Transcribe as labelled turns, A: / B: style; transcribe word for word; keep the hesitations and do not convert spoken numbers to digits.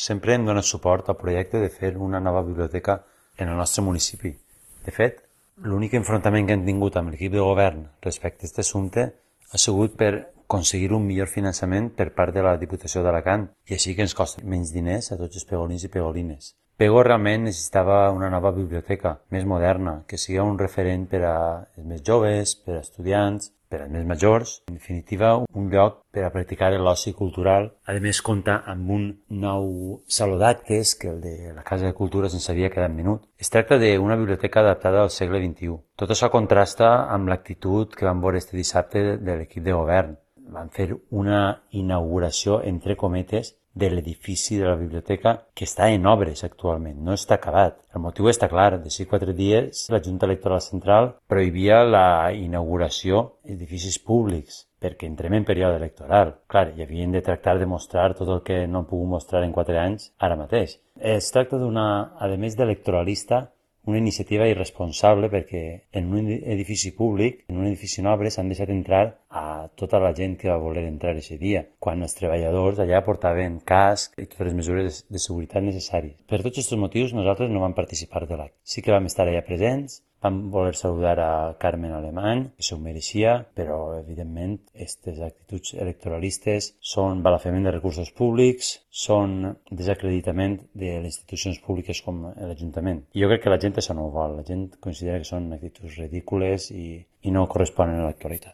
A: sempre hem donat suport al projecte de fer una nova biblioteca en el nostre municipi. De fet, l'únic enfrontament que hem tingut amb l'equip de govern respecte a aquest assumpte ha sigut per aconseguir un millor finançament per part de la Diputació d'Alacant i així que ens costa menys diners a tots els pegolins i pegolines. Pego realment necessitava una nova biblioteca, més moderna, que sigui un referent per a els més joves, per a estudiants, per als més majors, en definitiva un lloc per a practicar l'oci cultural. A més, compta amb un nou saló d'actes que el de la Casa de Cultura se'ns havia quedat menut. Es tracta d'una biblioteca adaptada al segle vint-i-u. Tot això contrasta amb l'actitud que vam veure este dissabte de l'equip de govern. Van fer una inauguració, entre cometes, de l'edifici de la biblioteca que està en obres actualment, no està acabat. El motiu està clar, d'ací quatre dies la Junta Electoral Central prohibia la inauguració d'edificis públics perquè entrem en període electoral. Clar, i havien de tractar de mostrar tot el que no han pogut mostrar en quatre anys ara mateix. Es tracta d'una, a més d'electoralista, una iniciativa irresponsable perquè en un edifici públic, en un edifici en obres, han deixat entrar a tota la gent que va voler entrar aquest dia, quan els treballadors allà portaven casc i totes les mesures de seguretat necessàries. Per tots aquests motius nosaltres no vam participar de l'acte. Sí que vam estar allà presents, vam voler saludar a Carmen Alemany, que s'ho mereixia, però evidentment aquestes actituds electoralistes són balafement de recursos públics, són desacreditament de les institucions públiques com l'Ajuntament. I jo crec que la gent això no ho vol, la gent considera que són actituds ridícules i, i no corresponen a l'actualitat.